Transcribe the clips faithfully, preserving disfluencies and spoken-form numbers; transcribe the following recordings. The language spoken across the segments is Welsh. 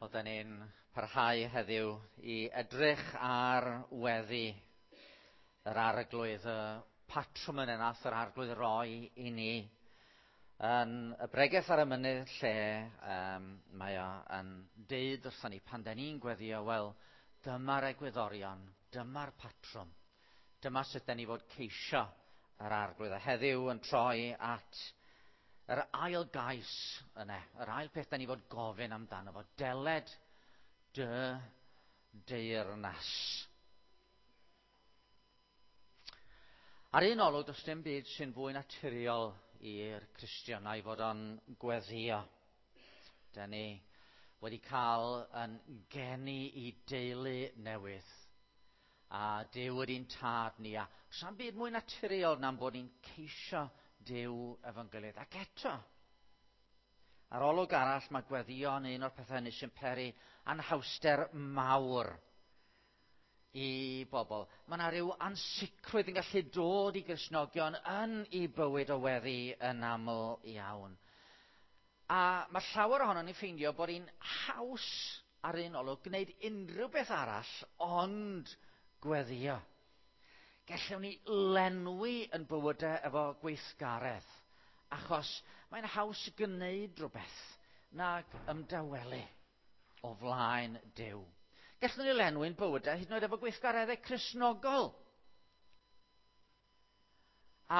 Wel, da ni'n parhau heddiw i edrych ar weddi yr Arglwydd, y patrwm yna nath yr Arglwydd roi i ni yn y bregeth ar y mynydd lle um, mae o yn deud wrthon ni pan da ni'n gweddio, wel, dyma'r egwyddorion, dyma'r patrwm, dyma sut da ni fod ceisio yr Arglwydd. A heddiw yn troi at yr ail gais yna, yr ail peth da ni fod gofyn amdano fo, deled dy deyrnas. Ar un olwg, does dim byd sy'n fwy naturiol i'r Cristionau fod o'n gweddio. Da ni wedi cael yn geni i deulu newydd. A Duw ydy'n tad ni, a sa'n byd mwy naturiol na'n bod ni'n ceisio Duw efo'n gilydd. Ac eto, ar olwg arall, mae gweddio yn un o'r pethau hynny sy'n peri anhawster mawr i bobl. Mae yna rhyw ansicrwydd yn gallu dod i Gristnogion yn eu bywyd o weddi yn aml iawn. A mae llawer ohonon ni'n ffeindio bod hi'n haws ar un olwg gwneud unrhyw beth arall ond gweddio. Gallwn ni lenwi yn bywydau efo gweithgaredd, achos mae'n haws gwneud rhywbeth nag ymdawelu o flaen Duw. Gallwn ni lenwi'n bywydau hyd yn oed efo gweithgareddau Cristnogol.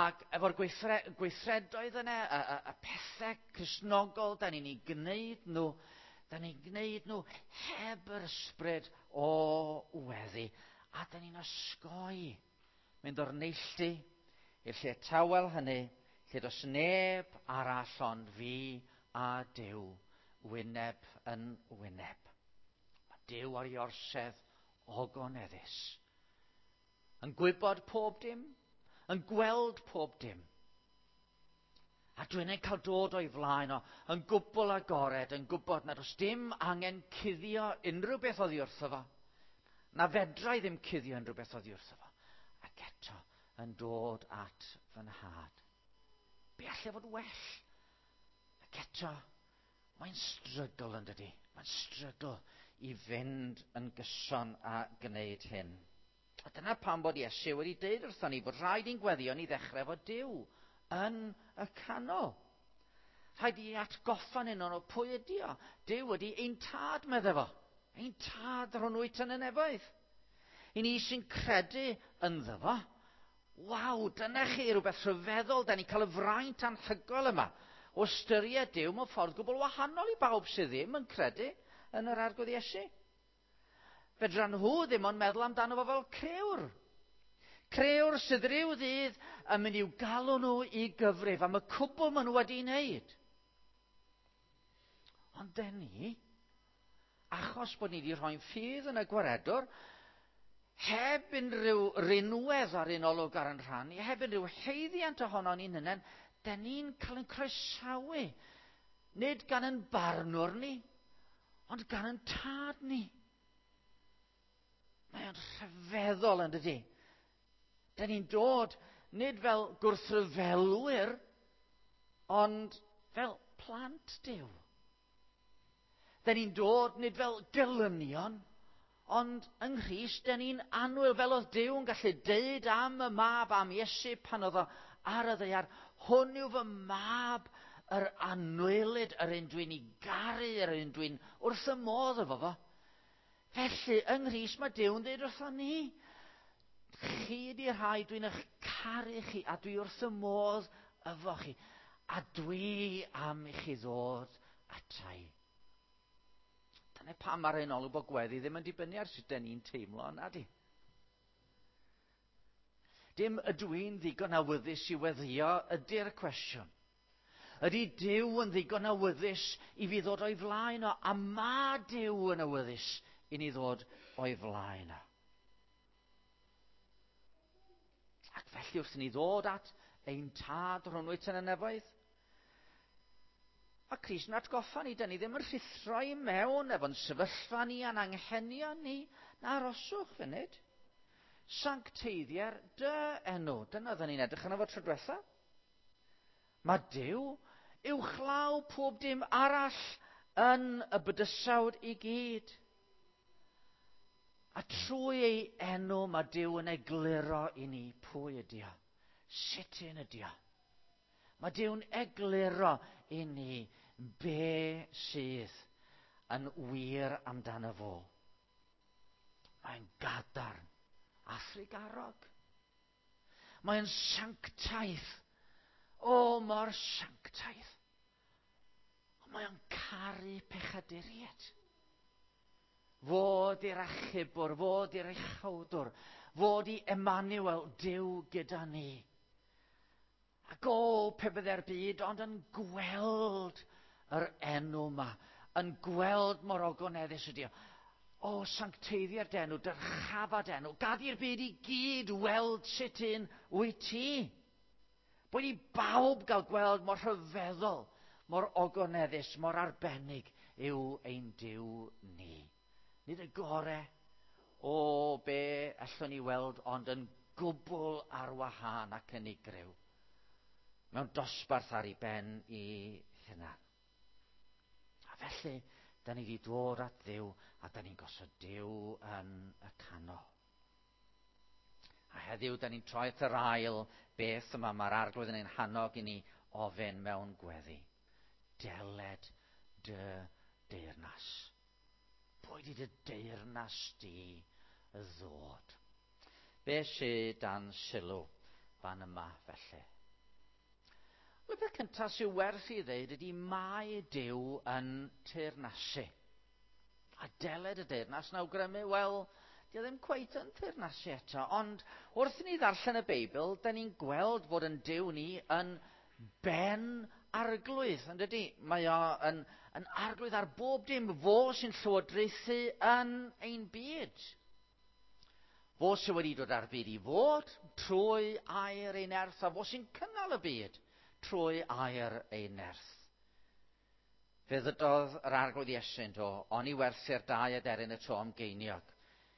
Ac efo'r gweithre, gweithredoedd yna, y, y, y pethau Cristnogol, da ni'n ei gwneud nhw, da ni'n gwneud nhw heb yr ysbryd o weddi. A da ni'n osgoi mynd o'r neilltu i'r lle tawel hynny, lle does neb arall ond fi a Duw, wyneb yn wyneb. Mae Duw ar ei orsedd ogoneddus, yn gwybod pob dim, yn gweld pob dim. A dwi'n ei cael dod o'i flaen o, yn gwbl agored, yn gwybod nad oes dim angen cuddio unrhyw beth oddi wrtho fo. Na fedra i ddim cuddio unrhyw beth oddi wrtho fo. Ac eto yn dod at fy nhad. Be allai fod well? Ac eto, mae'n strygl yn dydi. Mae'n strygl i fynd yn gyson a gwneud hyn. A dyna pam bod Iesu wedi deud wrthon ni bod rhaid i'n gweddio ni ddechrau efo Duw yn y canol. Rhaid i atgoffa ni o'n pwy ydi o. Duw ydi ein tad, medde fo. Ein tad rhwng wyt yn y nefoedd. I ni sy'n credu ynddo fo, waw, dyna chi rhywbeth rhyfeddol, da ni'n cael y fraint anhygoel yma o ystyried Duw mewn ffordd gwbl wahanol i bawb sydd ddim yn credu yn yr Arglwydd Iesu. Fedran nhw ddim ond meddwl amdano fo fel crëwr. Crëwr sydd ryw ddydd yn mynd i'w galw nhw i gyfrif am y cwbl maen nhw wedi wneud. Ond den ni, achos bod ni wedi rhoi'n ffydd yn y gwaredwr, heb unrhyw rinwedd ar un olwg ar yn rhan ni, heb unrhyw haeddiant ohono ni'n hunain, den ni'n cael ein croesawu. Nid gan ein barnwr ni, ond gan ein tad ni. Mae o'n rhyfeddol yn dydi. Den ni'n dod nid fel gwrthryfelwyr, ond fel plant Duw. Den ni'n dod nid fel gelynion, ond yng Nghrist, den ni'n annwyl, fel oedd Duw yn gallu deud am y mab, am Iesu pan oedd o ar y ddaear, hwn yw fy mab, yr annwylyd, yr un dwi'n ei garu, yr un dwi'n wrth y modd efo fo. Felly, yng Nghrist, mae Duw yn dweud wrthon ni, chi ydi'r rhai dwi'n eich caru chi, a dwi wrth y modd efo chi, a dwi am i chi ddod atai. Dyna pam ar ein olwg bod gweddi ddim yn dibynnu ar sut den ni'n teimlo, na di. Dim ydw i'n ddigon awyddus i weddio ydy'r cwestiwn. Ydy Duw yn ddigon awyddus i fi ddod o'i flaen o, a ma Duw yn awyddus i ni ddod o'i flaen o. Ac felly wrth i ni ddod at ein tad rhwng wyt yn y nefoedd, mae Crist yn atgoffa ni, da ni ddim yn rhuthro i mewn efo'n sefyllfa ni a'n anghenion ni, na aroswch funud. Sancteiddier dy enw. Dyna oedden ni'n edrych arno fo tro diwetha. Mae Duw uwchlaw pob dim arall yn y bydysawd i gyd. A trwy ei enw mae Duw yn egluro i ni pwy ydy o, sut un ydy o. Mae Duw'n egluro i ni be sydd yn wir amdano fo. Mae'n gadarn a thrugarog. Mae'n sanctaidd. O, mor sanctaidd. Ond mae'n caru pechaduriaid. Fod i'r achubwr, fod i'r uchawdwr, fod i Emmanuel, Duw gyda ni. Ac o, pe bydde'r byd ond yn gweld yr enw yma, yn gweld mor ogoneddus ydi o. O, sancteiddia'r denw, dyrchafa denw, gad i'r byd i gyd weld sut un wyt ti. Boed i bawb gael gweld mor rhyfeddol, mor ogoneddus, mor arbennig yw ein Duw ni. Nid y gore o be allwn ni weld, ond yn gwbl ar wahân ac unigryw. Mewn dosbarth ar ei ben i hunan. A felly, da ni wedi dod at Dduw, a da ni'n gosod Duw yn y canol. A heddiw, da ni'n troi at yr ail beth yma mae'r Arglwydd yn ein hannog i ni ofyn mewn gweddi. Deled dy deyrnas. Boed i dy deyrnas di ddod. Be sydd dan sylw fan yma felly? Wel, y peth cyntaf sy'n werth i ddeud ydy mae Duw yn teyrnasu. A deled y deyrnas yn awgrymu, wel, di o ddim cweit yn teyrnasu eto. Ond wrth i ni ddarllen y Beibl, da ni'n gweld fod yn Duw ni yn ben arglwydd, yn dydy? Mae o yn, yn arglwydd ar bob dim. Fo sy'n llywodraethu yn ein byd. Fo sydd wedi dod ar byd i fod trwy air ei nerth, a fo sy'n cynnal y byd trwy air ei nerth. Fe ddydodd yr Arglwydd Iesu do, oni werthu'r dau aderyn y to am geiniog.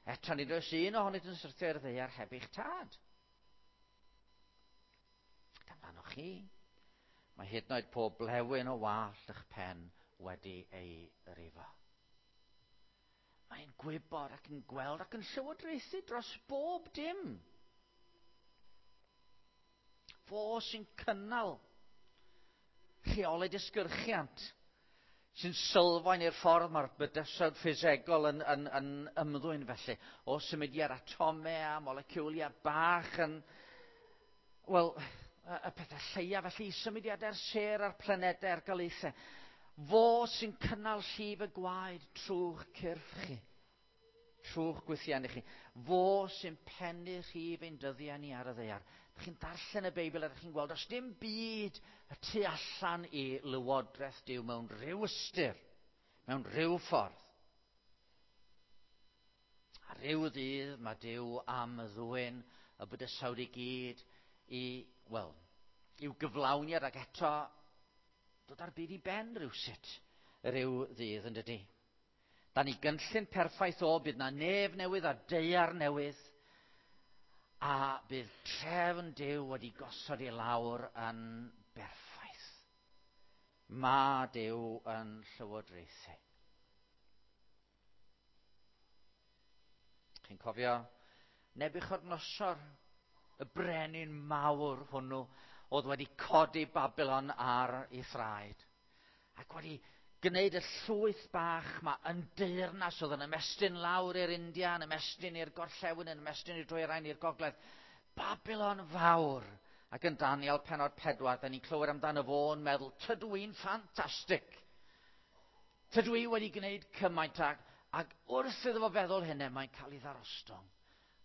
Eto nid oes un ohonynt yn syrthio i'r ddaear heb eich tad. Ac amdanoch chi, mae hyd yn oed pob blewyn o wallt eich pen wedi ei rifo. Mae'n gwybod ac yn gweld ac yn llywodraethu dros bob dim. Fo sy'n cynnal rheolau disgyrchiant, sy'n sylfaen i'r ffordd mae'r bydysawd ffisegol yn, yn, yn ymddwyn felly, o symudiad atomau a moleciwliau bach yn, wel, y pethau lleia felly, symudiadau'r sêr a'r planedau a'r galaethau. Fo sy'n cynnal llif y gwaed trwy'ch cyrff chi, trwy'ch gwythiennau chi. Fo sy'n pennu rhif ein dyddiau ni ar y ddaear. Dych chi'n darllen y Beibl a dych chi'n gweld, os dim byd y tu allan i lywodraeth Duw mewn rhyw ystyr, mewn rhyw ffordd. A rhyw ddydd mae Duw am ddwyn y bydysawd i gyd i, wel, i'w gyflawniad ac eto dod ar byd i ben rhywsut rhyw ddydd, yn dydy. Da ni gynllun perffaith o, bydd na nef newydd a daear newydd, a bydd trefn Duw wedi gosod i lawr yn berffaith. Mae Duw yn llywodraethu. Chi'n cofio Nebiwchodynosor, y brenin mawr hwnnw, oedd wedi codi Babylon ar ei thraed, ac wedi gwneud y llwyth bach ma yn deyrnas oedd yn ymestyn lawr i'r India, yn ymestyn i'r gorllewin, yn ymestyn i'r dwyrain, i'r gogledd. Babylon fawr. Ac yn Daniel pennod pedwar, da ni'n clywed amdano fo'n meddwl, tydw i'n ffantastig. Tydw i wedi gwneud cymaint ac, ac wrth iddo fo feddwl hynny, mae'n cael ei ddarostwng.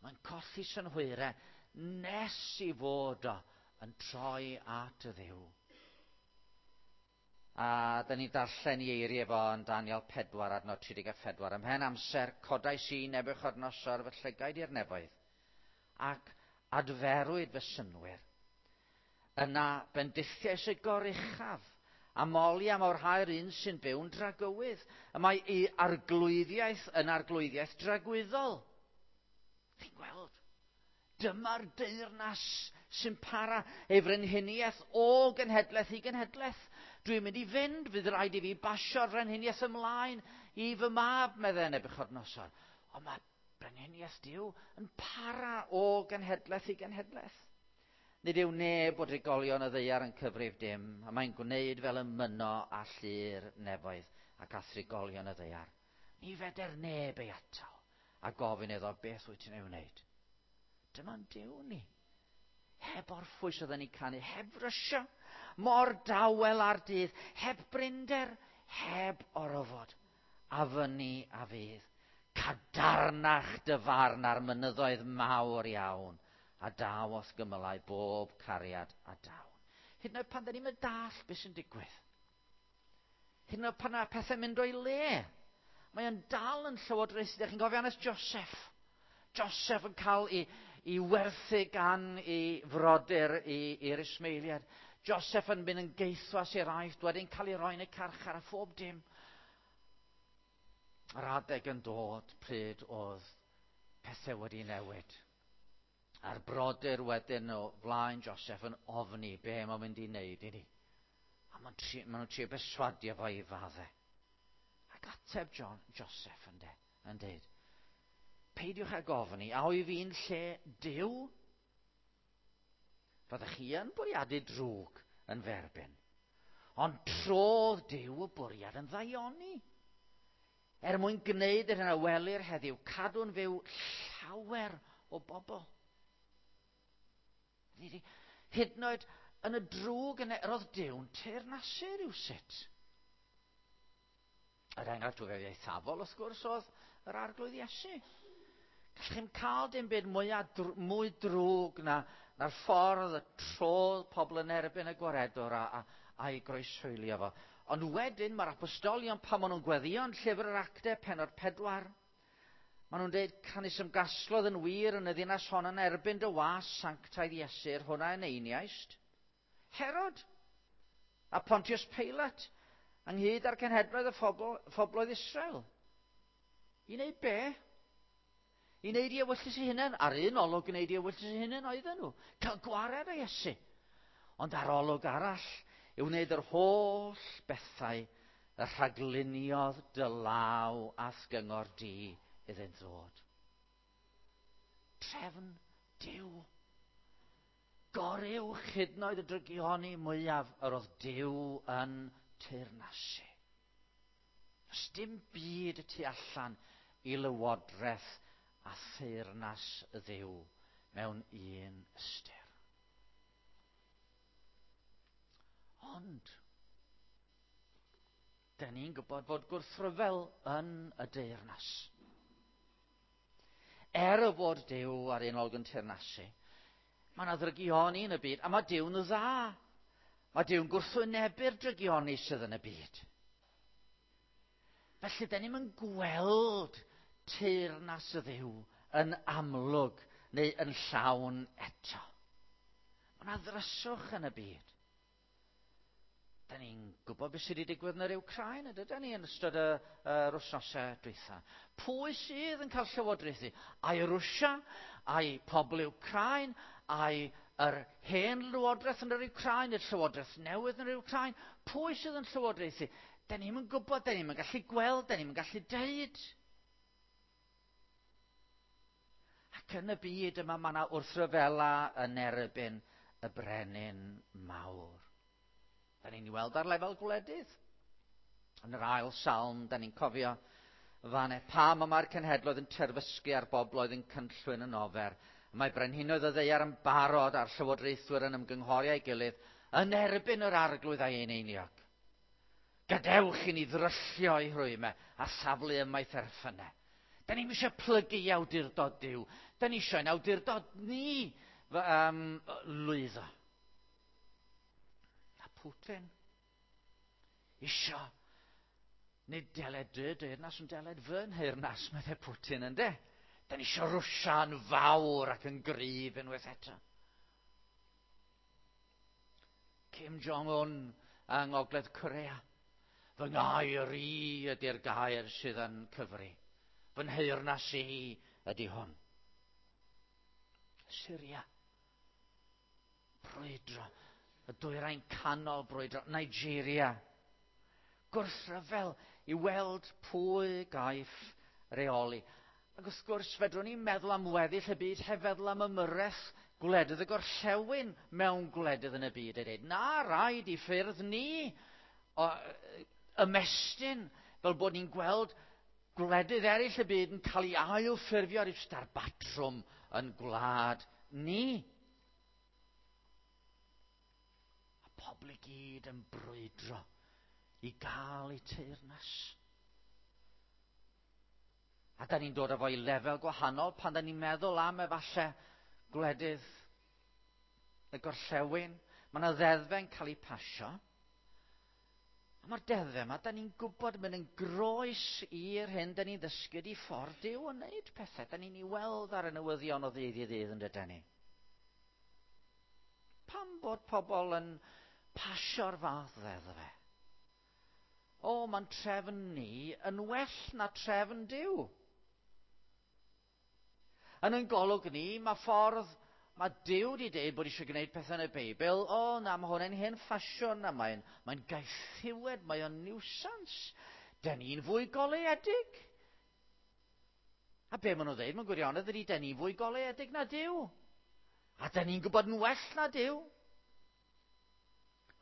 Mae'n colli synhwyrau nes i fod o yn troi at y Dduw. A da ni'n darllen i eiriau fo yn Daniel pedwar adnod tri deg a phedwar. Ymhen amser codais i Nebiwchodynosor fy llygaid i'r nefoedd, ac adferwyd fy synwyr. Yna bendithiais y goruchaf, a moli am orhau'r un sy'n byw'n dragywydd. Y mae ei arglwyddiaeth yn arglwyddiaeth dragwyddol. Chi'n gweld? Dyma'r deyrnas sy'n para, ei frenhiniaeth o genhedlaeth i genhedlaeth. Dwi'n mynd i fynd, fydd rhaid i fi basio'r frenhiniaeth ymlaen i fy mab, meddai Nebiwchodynosor. Ond mae brenhiniaeth Duw yn para o genhedlaeth i genhedlaeth. Nid yw neb o drigolion y ddaear yn cyfrif dim, a mae'n gwneud fel y mynno â llu'r nefoedd ac â thrigolion y ddaear. Ni feder neb ei atal a gofyn iddo beth wyt ti'n ei wneud. Dyma'n Duw ni. Heb orffwys oedden ni canu, heb frysio, mor dawel ar dydd, heb brinder, heb orfod, a fyny a fydd. Cadarnach dy farn ar mynyddoedd mawr iawn, a daw o'th gymylau bob cariad a dawn. Hyd yn oed pan da ni'n dallt beth sy'n digwydd. Hyd yn oed pan mae pethau'n mynd o'i le. Mae o'n dal yn llywodraethu. Dych chi'n cofio hanes Joseph? Joseph yn cael ei, ei werthu gan ei frodyr i'r Ismaeliad. Joseph yn mynd yn geithwas i'r Aifft, wedyn cael ei roi yn y carchar a phob dim. Yr adeg yn dod pryd oedd pethau wedi newid. A'r brodyr wedyn o flaen Joseph yn ofni be mae'n mynd i wneud i ni. A maen nhw'n trio berswadio fo i fadde. Ac ateb John, Joseph yn, de, yn deud, peidiwch ag ofni, a oedd fi'n lle Duw? Fyddech chi yn bwriadu drwg yn f'erbyn. Ond trodd Duw y bwriad yn ddaioni. Er mwyn gwneud yr hyn a welir heddiw, cadw'n fyw llawer o bobl. Hyd yn oed yn y drwg yna, yr oedd Duw'n teyrnasu rywsut. Yr enghraifft fwyaf eithafol, wrth gwrs, oedd yr Arglwydd Iesu. Gallech chi'm cael dim byd mwy, drw, mwy drwg na, na'r ffordd y trodd pobl yn erbyn y gwaredwr a, a, a'i groeshoelio fo. Ond wedyn mae'r apostolion, pan maen nhw'n gweddïo yn llyfr yr Actau, pennod pedwar, maen nhw'n dweud, canys ymgasglodd yn wir yn y ddinas hon yn erbyn dy was sanctaidd Iesu, hwnna yn einiaist. Herod a Pontius Pilate, ynghyd â'r cenhedloedd y phobl, phobloedd Israel. I wneud be? I wneud i ewyllys eu hunain. Ar un olwg gwneud i ewyllys eu hunain oedden nhw. Cael gwared o Iesu. Ond ar olwg arall, i wneud yr holl bethau y rhagluniodd dy law a'th gyngor di iddynt ddod. Trefn Duw. Goruwch hyd yn oed y drygioni mwyaf yr oedd Duw yn teyrnasu. Does dim byd y tu allan i lywodraeth a theyrnas y Dduw mewn un ystyr. Ond, da ni'n gwybod fod gwrthryfel yn y deyrnas. Er y fod Duw ar un olwg yn teyrnasu, mae yna ddrygioni yn y byd, a mae Duw'n dda. Mae Duw'n gwrthwynebu'r drygioni sydd yn y byd. Felly, da ni'm yn gweld teyrnas y Dduw yn amlwg neu yn llawn eto. Mae yna ddryswch yn y byd. Da ni'n gwybod beth sydd wedi digwydd yn yr Wcráin, ydy ni yn ystod y, yr wythnosau dwytha. Pwy sydd yn cael llywodraethu? Ai Rwsia, ai pobl Wcráin, ai yr hen lywodraeth yn yr Wcráin, y llywodraeth newydd yn yr Wcráin? Pwy sydd yn llywodraethu? Da ni'm yn gwybod, da ni'm yn gallu gweld, da ni'm yn gallu deud. Ac yn y byd yma mae yna wrthryfela yn erbyn y brenin mawr. Da ni'n ei weld ar lefel gwledydd. Yn yr ail salm, da ni'n cofio fan e, pam y mae'r cenhedloedd yn terfysgu a'r bobloedd yn cynllwyn yn ofer. Mae brenhinoedd y ddaear yn barod a'r llywodraethwyr yn ymgynghori â'i gilydd yn erbyn yr arglwydd a'i eneiniog. Gadewch i ni ddryllio ei rhwymau a saflu ymaith erffynau. Da ni'n eisiau plygu i awdurdod Duw. Da ni eisiau ein awdurdod ni um, lwyddo. Putin isio nid deled dy deyrnas, ond deled fy nheyrnas, meddai Putin, ynde? Da ni isio Rwsia'n fawr ac yn gryf unwaith eto. Kim Jong-un yng Ngogledd Corea. Fy ngair i ydy'r gair sydd yn cyfri. Fy nheyrnas i ydy hwn. Syria. brwydro. Y dwyrain canol brwydro. Nigeria. Gwrthryfel i weld pwy gaiff reoli. Ac wrth gwrs, fedrwn ni'n meddwl am weddill y byd heb feddwl am ymyrraeth gwledydd y gorllewin mewn gwledydd yn y byd. A dweud, na, rhaid i ffyrdd ni o, ymestyn fel bod ni'n gweld gwledydd eraill y byd yn cael ei ailffurfio ar ar batrwm yn gwlad ni. A pobl i gyd yn brwydro i gael eu teyrnas. A da ni'n dod â fo i lefel gwahanol pan da ni'n meddwl am efallai gwledydd y gorllewin. Mae yna ddeddfau'n cael eu pasio. A mae'r deddfau yma, da ni'n gwybod mynd yn groes i'r hyn da ni'n ddysgu di ffordd Duw yn wneud pethau. Da ni'n ei weld ar y newyddion o ddydd i ddydd yn dydyn ni. Pam bod pobl yn pasio'r fath ddeddfau? O, mae'n trefn ni yn well na trefn Duw. Yn ein golwg ni, mae ffordd, mae Duw wedi dweud bod eisiau gwneud pethau yn y Beibl. O, na, mae hwn yn hen ffasiwn, a mae'n mae gaethiwed, mae o'n niwsans. Da ni'n fwy goleuedig. A be maen nhw'n dweud, mae'n gwirionedd ydy, da ni'n fwy goleuedig na Duw. A da ni'n gwybod yn well na Duw.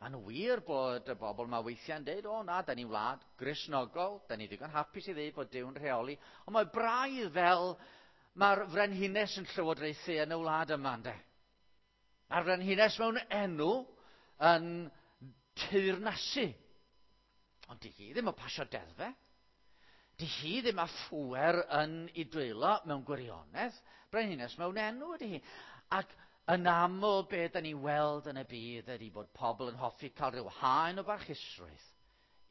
Mae'n wir bod y bobl yma weithiau'n dweud, o na, da ni'n wlad Gristnogol, da ni ddigon hapus i ddeud bod Duw'n rheoli. Ond mae braidd fel mae'r frenhines yn llywodraethu yn y wlad yma, ynde? Mae'r frenhines mewn enw yn teyrnasu. Ond di hi ddim yn pasio deddfau. Di hi ddim â phŵer yn ei dwylo mewn gwirionedd. Brenhines mewn enw ydy hi. Ac yn aml be da ni weld yn y byd ydy bod pobl yn hoffi cael rhyw haen o barchusrwydd.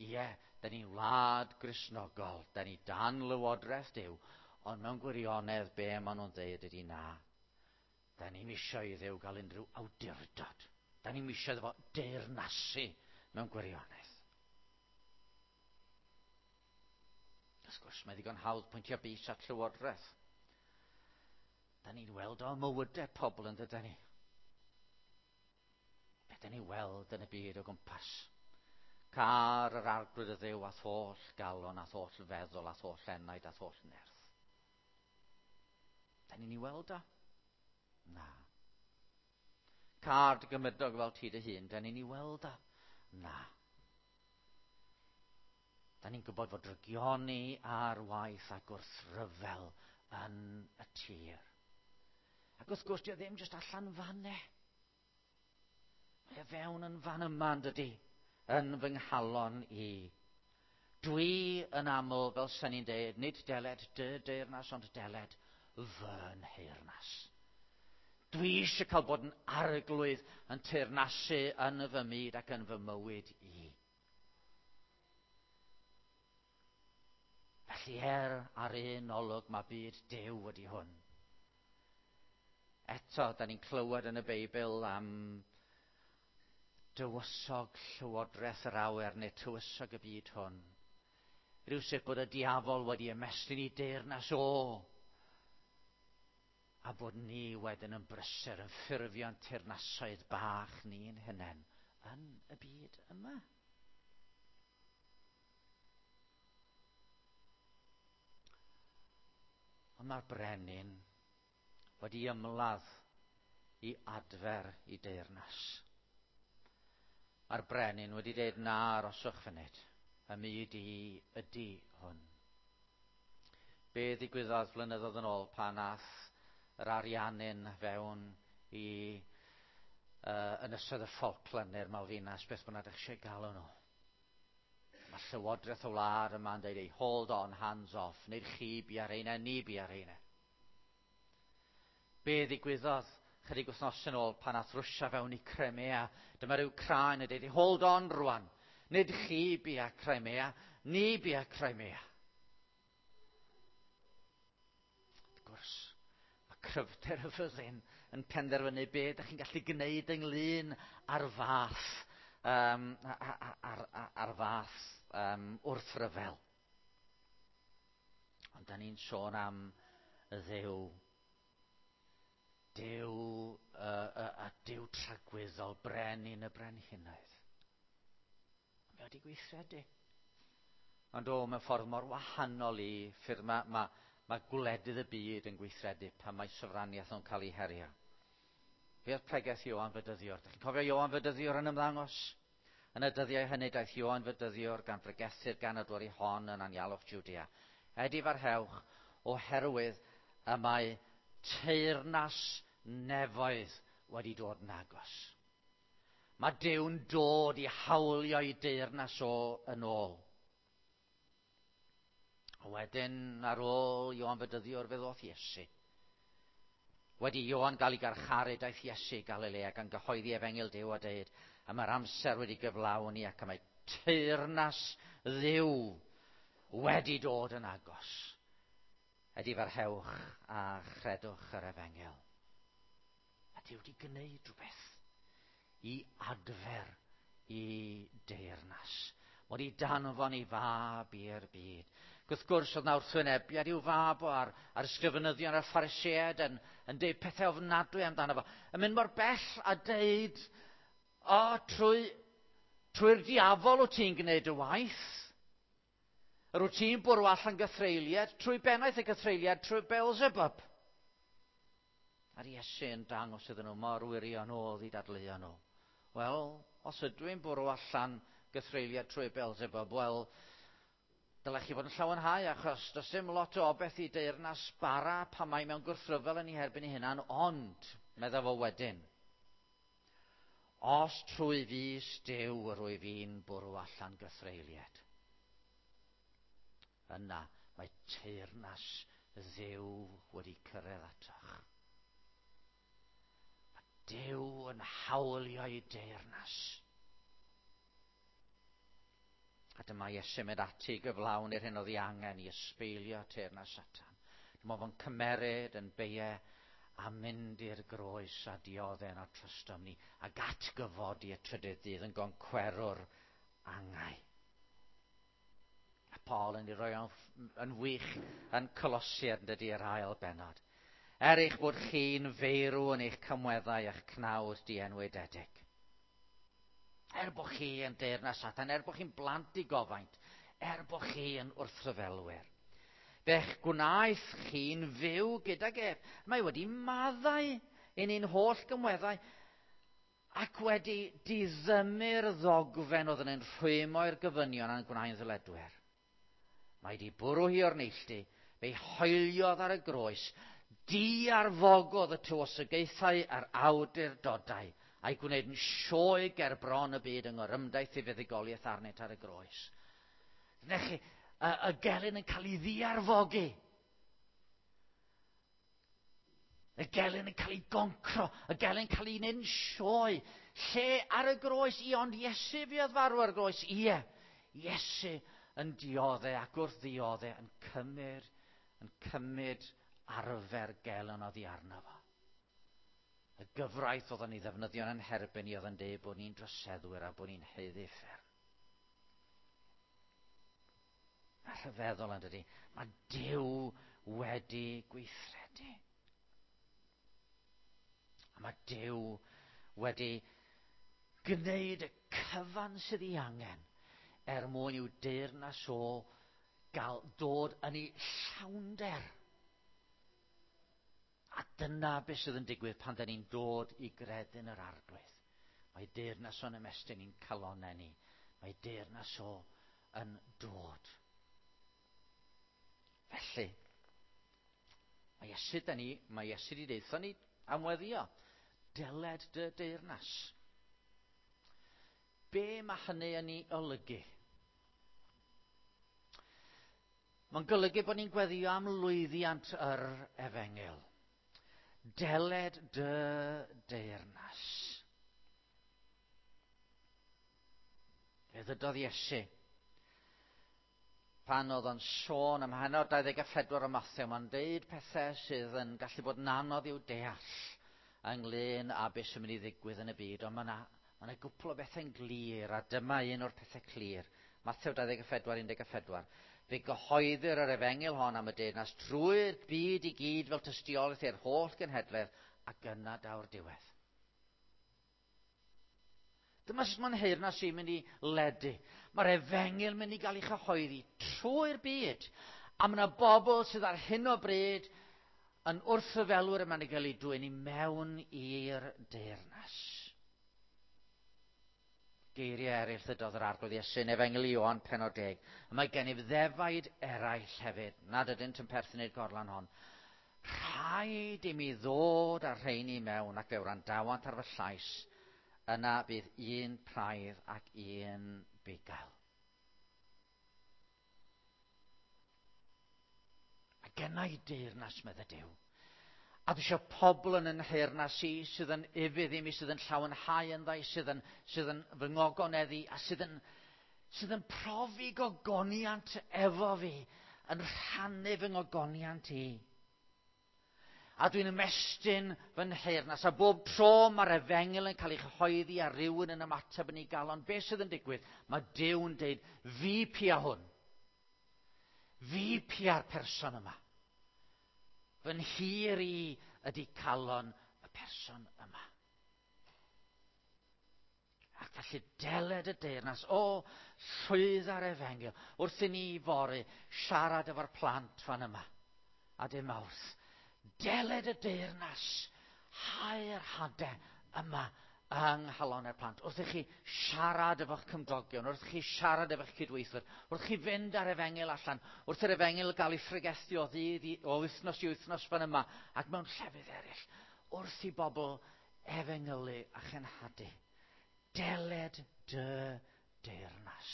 Ie, da ni'n wlad Gristnogol, da ni dan lywodraeth Duw, ond mewn gwirionedd be maen nhw'n dweud ydy na. Da ni'm eisiau i Dduw gael unrhyw awdurdod. Da ni'm eisiau iddo fo deyrnasu mewn gwirionedd. Wrth gwrs, mae ddigon hawdd pwyntio bys at llywodraeth. Da ni'n weld o mywydau pobl yn dydyn ni. Be da ni'n weld yn y byd o gwmpas? Car yr arglwydd y Dduw a'th holl galon, a'th holl feddwl, a'th holl enaid, a'th holl nerth. Da ni'n ei weld o? Na. Car dy gymydog fel ti dy hun, da ni'n ei weld o? Na. Da ni'n gwybod fod drygioni ar waith a gwrthryfel yn y tir. Ac wrth gwrs, di o ddim jyst allan fanne. Mae o fewn yn fan yma, yn dydi, yn fy nghalon i. Dwi yn aml, fel sy'n ni'n deud, nid deled dy deyrnas, ond deled fy nheyrnas. Dwi eisiau cael bod yn arglwydd yn teyrnasu yn fy myd ac yn fy mywyd i. Felly er ar un olwg mae byd Duw wedi hwn. Eto, da ni'n clywed yn y Beibl am dywysog llywodraeth yr awyr neu tywysog y byd hwn. Rhywsut bod y diafol wedi ymestyn i deyrnas o. A bod ni wedyn yn brysur yn ffurfio'n teyrnasoedd bach ni'n hunain yn y byd yma. Ond mae'r brenin wedi ymladd i adfer i deyrnas. Mae'r brenin wedi dweud, na, aroswch funud, y myd i ydy hwn. Be ddigwyddodd flynyddoedd yn ôl pan ath yr Ariannin fewn i uh, ynysoedd y Falkland neu'r Malvinas, beth bynnag ydych eisiau galw nhw. Mae llywodraeth y wlad yma'n dweud, ei hold on, hands off, nid chi bi ar reina, ni bi ar reina. Be ddigwyddodd chydig wythnos yn ôl pan ath Rwsia fewn i Crimea, dyma ryw Wcráin yn dweud, hold on rwan, nid chi bi a Crimea, ni bi a Crimea. Wrth gwrs, mae cryfder y fyddin yn penderfynu be ydych chi'n gallu gwneud ynglyn â'r fath, um, ar, ar, ar fath um, wrthryfel. Ond da ni'n sôn am y Dduw Duw, uh, uh, a Duw tragwyddol, brenin y brenhinoedd. Mae wedi gweithredu. Ond o, mewn ffordd mor wahanol i ffyrdd mae, mae, mae gwledydd y byd yn gweithredu pan mae sofraniaeth nhw'n cael ei herio. Be oedd pregeth Ioan Fedyddiwr? Dych chi'n cofio Ioan Fedyddiwr yn ymddangos? Yn y dyddiau hynny daeth Ioan Fedyddiwr gan bregethu'r ganadwri hon yn anialwch Jwdea. Edifarhewch oherwydd y mae teyrnas nefoedd wedi dod yn agos. Mae Duw'n dod i hawlio ei deyrnas o yn ôl. A wedyn ar ôl Ioan Fedyddiwr fe ddoth Iesu. Wedi Ioan gael ei garcharu daeth Iesu i Galilea gan gyhoeddi efengyl Duw a deud, a mae'r amser wedi gyflawni ac y mae teyrnas Dduw wedi dod yn agos. Edifarhewch a chredwch yr efengyl. A Duw wedi gwneud rhywbeth i adfer i deyrnas. Wedi danfon ei fab i'r byd. Wrth gwrs, oedd 'na wrthwynebiad i'w fab o a'r, a'r ysgrifenyddion a'r Phariseaid yn, yn deud pethau ofnadwy amdano fo. Yn mynd mor bell a deud, o, trwy, trwy'r diafol wyt ti'n gwneud y waith. Yr wyt ti'n bwrw allan gythreuliad, trwy bennaeth y gythreuliad, trwy Beelzebub. A'r Iesu yn dangos iddyn nhw mor wirion oedd eu dadleuon nhw. Wel, os ydw i'n bwrw allan gythreuliad trwy Beelzebub, wel, dylech chi fod yn llawenhau, achos does dim lot o obaith i deyrnas bara pan mae mewn gwrthryfel yn ei herbyn ei hunan, ond, medda fo wedyn, os trwy fys Duw yr wyf fi'n bwrw allan gythreuliad, yna mae teyrnas Dduw wedi cyrraedd atoch. Mae Duw yn hawlio ei deyrnas. A dyma Iesu'n mynd ati i gyflawni'r hyn oedd ei angen i ysbeilio teyrnas Satan. Dyma fo'n cymeryd yn beie a mynd i'r groes a dioddef yno trostom ni ac atgyfodi y trydydd dydd yn goncwerwr angau. A Paul yn ei roi yn wych yn Colosiaid yn dydy yr ail bennod. Er eich bod chi'n feirw yn eich camweddau a'ch cnawd dienwededig. Er bod chi yn deyrnas Satan, er bod chi'n blant i gofaint, er bod chi yn wrthryfelwyr. Fe'ch gwnaeth chi'n fyw gydag ef. Mae wedi maddau i ni'n holl gymweddau ac wedi diddymu'r ddogfen oedd yn ein rhwymo i'r gofynion a'n gwnaeth ddyledwyr. Mae wedi bwrw hi o'r neilltu, fe'i hoeliodd ar y groes, diarfogodd y tywysogaethau a'r awdurdodau, a'i gwneud yn sioe ger bron y byd yng ngorymdaith ei fuddugoliaeth arnynt ar y groes. Dyna chi, y, y gelyn yn cael ei ddiarfogi. Y gelyn yn cael ei goncro, y gelyn yn cael ei wneud yn sioe. Lle ar y groes, i ond Iesu fuodd farw ar y groes, ie, Iesu yn dioddef ac wrth ddioddef yn cymryd, yn cymryd arfer gelyn oddi arno fo. Y gyfraith oedd yn ei ddefnyddio yn herbyn ni oedd yn deud bod ni'n droseddwyr a bod ni'n haeddu uffern. Mae rhyfeddol yn dydy. Mae Duw wedi gweithredu. A mae Duw wedi gwneud y cyfan sydd ei angen er mwyn i'w deyrnas o gael dod yn ei llawnder. A dyna beth sydd yn digwydd pan da ni'n dod i gredu yn yr Arglwydd. Mae deyrnas o'n ymestyn i'n calonnau ni. Mae deyrnas o yn dod. Felly, mae Iesu da ni, mae Iesu wedi deutha ni am weddio. Deled dy deyrnas. Be mae hynny yn ei olygu? Mae'n golygu bod ni'n gweddio am lwyddiant yr efengyl. Deled dy deyrnas. Fe ddydodd Iesu pan oedd o'n sôn am heno dau ddeg a phedwar o Mathew, mae'n deud pethau sydd yn gallu bod yn anodd i'w deall ynglyn â beth sy'n mynd i ddigwydd yn y byd, ond mae yna ma yna gwpl o bethau'n glir, a dyma un o'r pethau clir. Mathew dau ddeg a phedwar, un deg a phedwar. Fe gyhoeddir yr efengyl hon am y deyrnas trwy'r byd i gyd fel tystiolaeth i'r holl genhedlaeth, ac yna daw'r diwedd. Dyma sut mae'n nheyrnas i'n mynd i ledu. Mae'r efengyl mynd i gael ei chyhoeddi trwy'r byd. A mae yna bobl sydd ar hyn o bryd yn wrthryfelwyr yma'n ei gael ei dwyn i mewn i'r deyrnas. Geiriau eraill ddydodd yr Arglwydd Iesu yn Efengyl Ioan pennod deg. A mae gennyf ddefaid eraill hefyd, nad ydynt yn perthyn i'r gorlan hon. Rhaid i mi ddod â'r rheini mewn ac fe wrandawant ar fy llais. Yna bydd un praidd ac un bugail. A genna i deyrnas, medde Duw. A dwi eisiau pobl yn yn nheyrnas i sydd yn ufudd i mi, sydd yn llawenhau ynddo, sydd yn, sydd yn fy ngogoneddu, a sydd yn, sydd yn profi gogoniant efo fi, yn rhannu fy ngogoniant i. A dwi'n ymestyn fy nheyrnas, a bob tro mae'r efengyl yn cael ei chyhoeddi a rhywun yn ymateb yn ei galon, beth sydd yn digwydd? Mae Duw yn deud, fi pia hwn. Fi pia'r person yma. Fy nhir i ydy calon y person yma. Ac felly deled y deyrnas, o, llwydda'r efengyl, wrth i ni fory siarad efo'r plant fan yma, a dim mawrth. Deled y deyrnas, hau'r hadau yma yng nghalonnau'r plant. Wrth i chi siarad efo'ch cymdogion, wrth i chi siarad efo'ch cydweithwyr, wrth i chi fynd ar efengyl allan, wrth i'r efengyl gael ei phregethu o ddydd i, o wythnos i wythnos fan yma, ac mewn llefydd eraill, wrth i bobl efengylu a chenhadu. Deled dy deyrnas.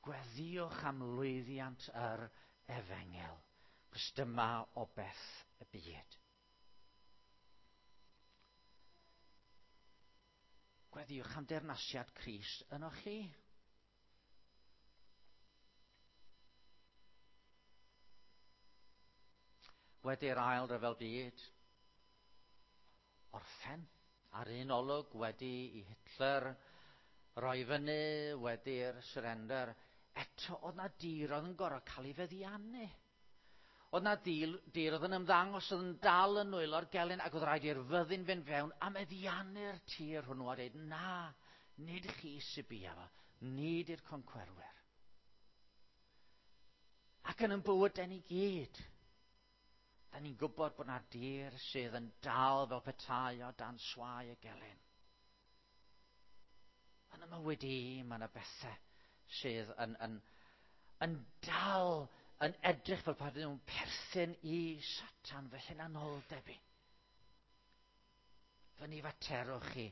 Gweddïwch am lwyddiant yr efengyl, cos dyma o beth y byd. Gweddïwch am deyrnasiad Crist ynoch chi. Wedi'r ail ryfel byd, orffen ar un olwg wedi i Hitler roi fyny, wedi'r surrender, eto oedd na dir oedd yn gorfod cael ei feddiannu. Oedd na dir, dir oedd yn ymddangos oedd yn dal yn nwylo'r gelyn ac oedd rhaid i'r fyddin fynd fewn a meddiannu'r tir hwnnw a dweud, na, nid chi sy'n bia fo, nid i'r concwerwyr. Ac yn yn bywydau ni gyd, da ni'n gwybod bod na dir sydd yn dal fel petai o dan swai y gelyn. Yn y mywyd i, mae yna bethau sydd yn, yn, yn dal yn edrych fel pan nhw'n perthyn i Satan, fy hunanoldeb i. Fy nifaterwch chi,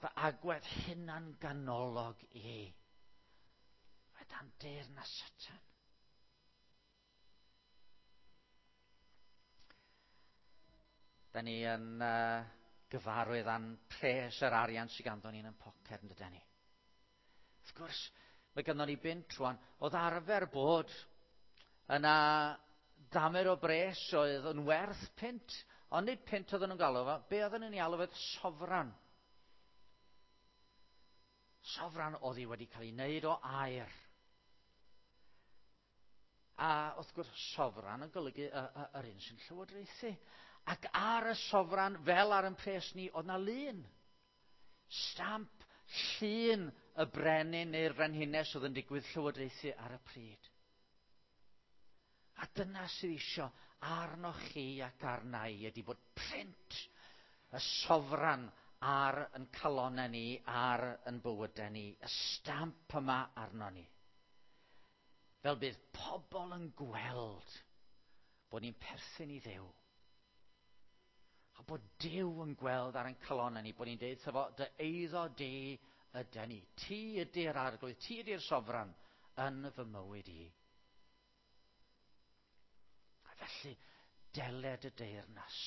fy agwedd hunan ganolog i. Mae dan deyrnas Satan. Da ni yn uh, gyfarwydd â'n pres yr arian sydd ganddo ni yn ein poced, yn dydyn ni. Wrth gwrs, mae ganddo ni bunt rwan, oedd arfer bod yna damer o bres oedd yn werth punt, ond nid punt oedden nhw'n galw fo, be oedden nhw'n ei alw fo? Sofran. Sofran oedd hi wedi cael ei wneud o aur. A wrth gwrs, sofran yn golygu y, y, yr un sy'n llywodraethu. Ac ar y sofran, fel ar yn pres ni, oedd na lun. Stamp, llun y brenin neu'r frenhines oedd yn digwydd llywodraethu ar y pryd. A dyna sydd isio arnoch chi ac arna i ydy bod print y sofran ar yn calonnau ni, ar yn bywydau ni, y stamp yma arno ni. Fel bydd pobl yn gweld bod ni'n perthyn i Dduw. A bod Duw yn gweld ar ein calonnau ni, bod ni'n deud wrtho fo, dy eiddo di ydy ni. Ti ydy'r arglwydd, ti ydy'r sofran yn fy mywyd i. A felly, deled y deyrnas.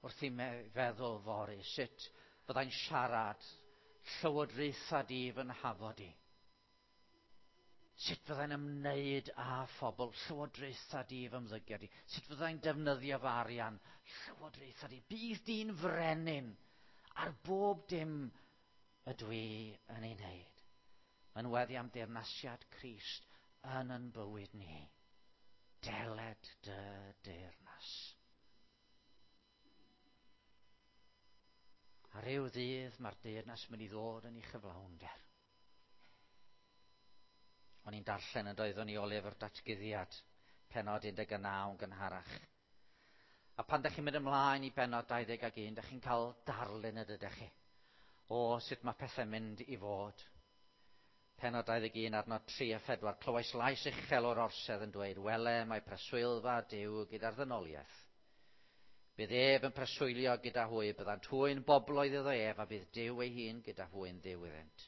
Wrth i mi feddwl fory, sut fyddai'n siarad llywodraetha di fy nhafod i. Sut fyddai'n ymwneud â phobl, llywodraetha di fy ymddygiad i. Sut fyddai'n defnyddio fy arian, llywodraetha di. Bydd di'n frenin ar bob dim ydw i yn ei wneud. Mae'n weddi am deyrnasiad Crist yn yn bywyd ni. Deled dy deyrnas. A ryw ddydd mae'r deyrnas mynd i ddod yn ei chyflawnder. O'n i'n darllen yn doeddwn i o lyfr Datguddiad, penod un deg naw yn gynharach. A pan dach chi'n mynd ymlaen i bennod dau ddeg ac un, dach chi'n cael darlun y dydych chi o sut mae pethau'n mynd i fod. Pennod dau ddeg un, adnod tri a phedwar, clywais lais uchel o'r orsedd yn dweud, wele mae preswylfa Duw gyda'r ddynoliaeth. Bydd ef yn preswylio gyda hwy, byddant hwy'n bobloedd iddo ef, a bydd Duw ei hun gyda hwy'n Dduw iddynt.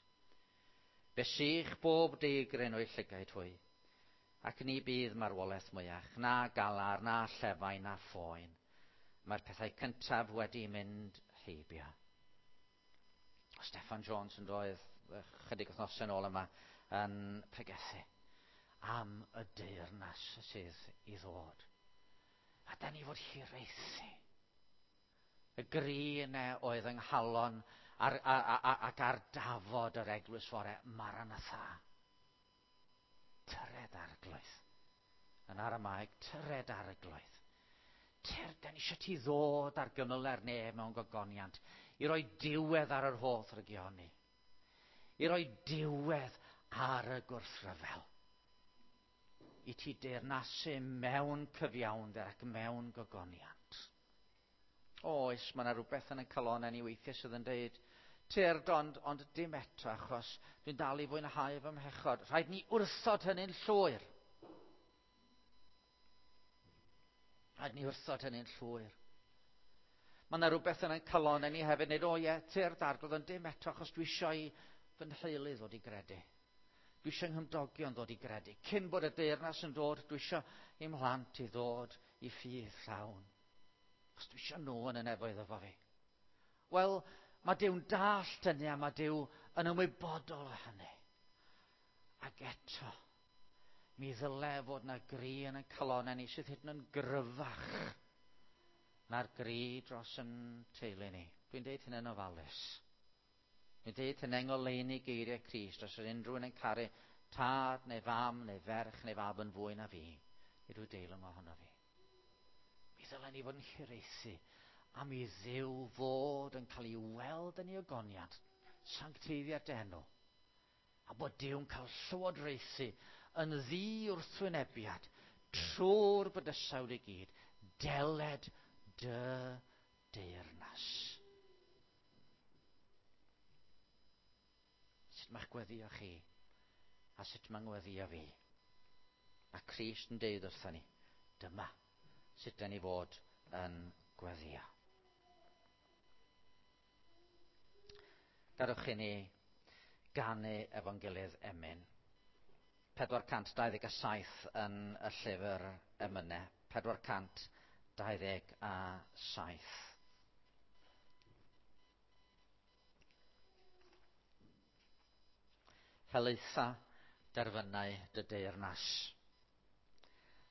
Fe sych bob deigryn o'i llygaid hwy, ac ni bydd marwolaeth mwyach, na galar, na llefau, na phoen. Mae'r pethau cyntaf wedi mynd heibio. Steffan Jones yn doedd chydig wythnosau yn ôl yma yn pregethu am y deyrnas sydd i ddod. A da ni fod hiraethu. Y gri yna oedd yng nghalon ar, a, a, a, ac ar dafod yr eglwys fore, Maranatha. Tyred Arglwydd. Yn Aramaeg, tyred Arglwydd. Tyr, da ni eisiau ti ddod ar gymyle'r nef mewn gogoniant, i roi diwedd ar yr holl rygioni, i roi diwedd ar y gwrthryfel, i ti deyrnasu mewn cyfiawnder ac mewn gogoniant. Oes, mae yna rhywbeth yn y calonnau ni weithiau sydd yn dweud, tyrd ond, ond dim eto, achos dwi'n dal i fwynhau fy mhechod. Rhaid ni wrthod hynny'n llwyr. Rhaid ni wrthod hynny'n llwyr. Mae yna rhywbeth yn y calonnau ni hefyd, nid, o ie, tyrd Arglwydd, ond dim eto, achos dwi eisiau i fy nheulu ddod i gredu. Dwi eisiau nghymdogion ddod i gredu. Cyn bod y deyrnas yn dod, dwi eisiau i mhlant i ddod i ffydd llawn. Achos dwi eisiau nhw yn y nefoedd efo fi. Wel, mae Duw'n dallt hynny a mae Duw yn ymwybodol o hynny. Ac eto, mi ddyle fod yna gri yn y calonnau ni sydd hyd yn oed yn gryfach na'r gri dros yn teulu ni. Dwi'n deud hynny'n ofalus. Dwi'n deud hynny'n ngoleuni geiriau Crist, os yr unrhyw un yn caru tad neu fam neu ferch neu fab yn fwy na fi, nid yw deilwng ohono fi. Mi ddylen ni fod yn hiraethu am i Dduw fod yn cael ei weld yn ei ogoniant, sancteiddiad dy enw, a bod Duw'n cael llywodraethu yn ddi wrthwynebiad trwy'r bydysawd i gyd, deled dy deyrnas. Sut mae'ch gweddio chi a sut mae'n gweddio fi? Mae Crist yn deud wrthon ni, dyma sut da ni fod yn gweddio. Gadewch i ni ganu efo'n gilydd emyn. pedwar cant dau ddeg a saith yn y llyfr emynau. pedwar cant dau ddeg a saith. Helaetha derfynau dy deyrnas,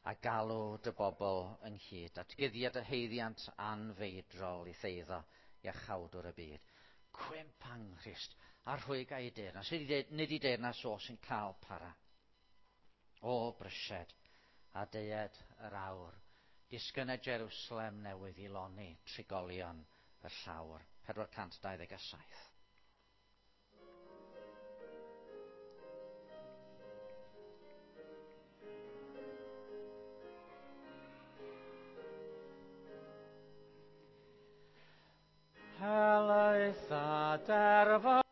a galw dy bobl ynghyd, atguddiad y haeddiant anfeidrol i theiddo iachawdwr y byd. Cwymp anghrist a rhwyg a'i deyrnas, nid i deyrnas o sy'n cael para. O brysied a deued yr awr, disgynna Jerusalem newydd i loni trigolion y llawr. pedwar cant dau ddeg a saith. Helaetha derfynau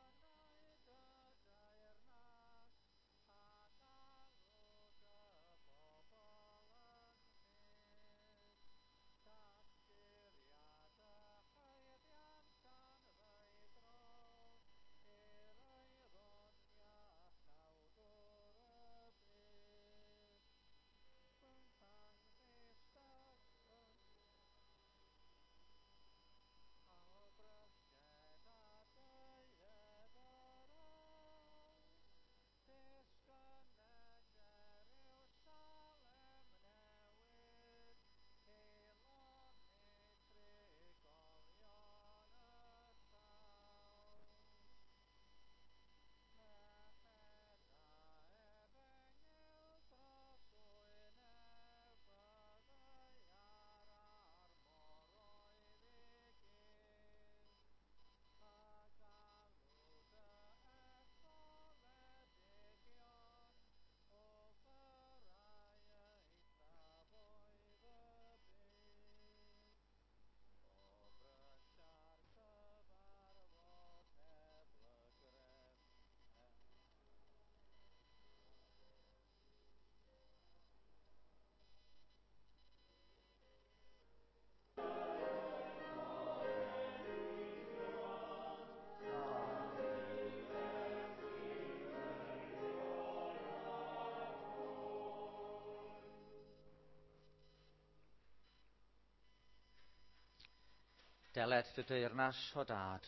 Deled dy deyrnas o dad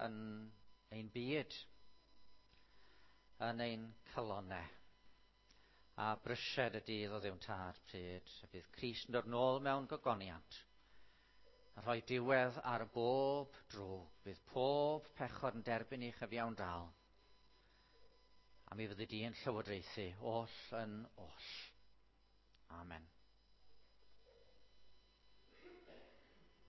yn ein byd, yn ein calonnau, a brysied y dydd o Dduw'n tad pryd y bydd Crist yn dod nôl mewn gogoniant a rhoi diwedd ar bob drwg. Bydd pob pechod yn derbyn ei chyfiawn dal. A mi fyddi di yn llywodraethu oll yn oll. Amen.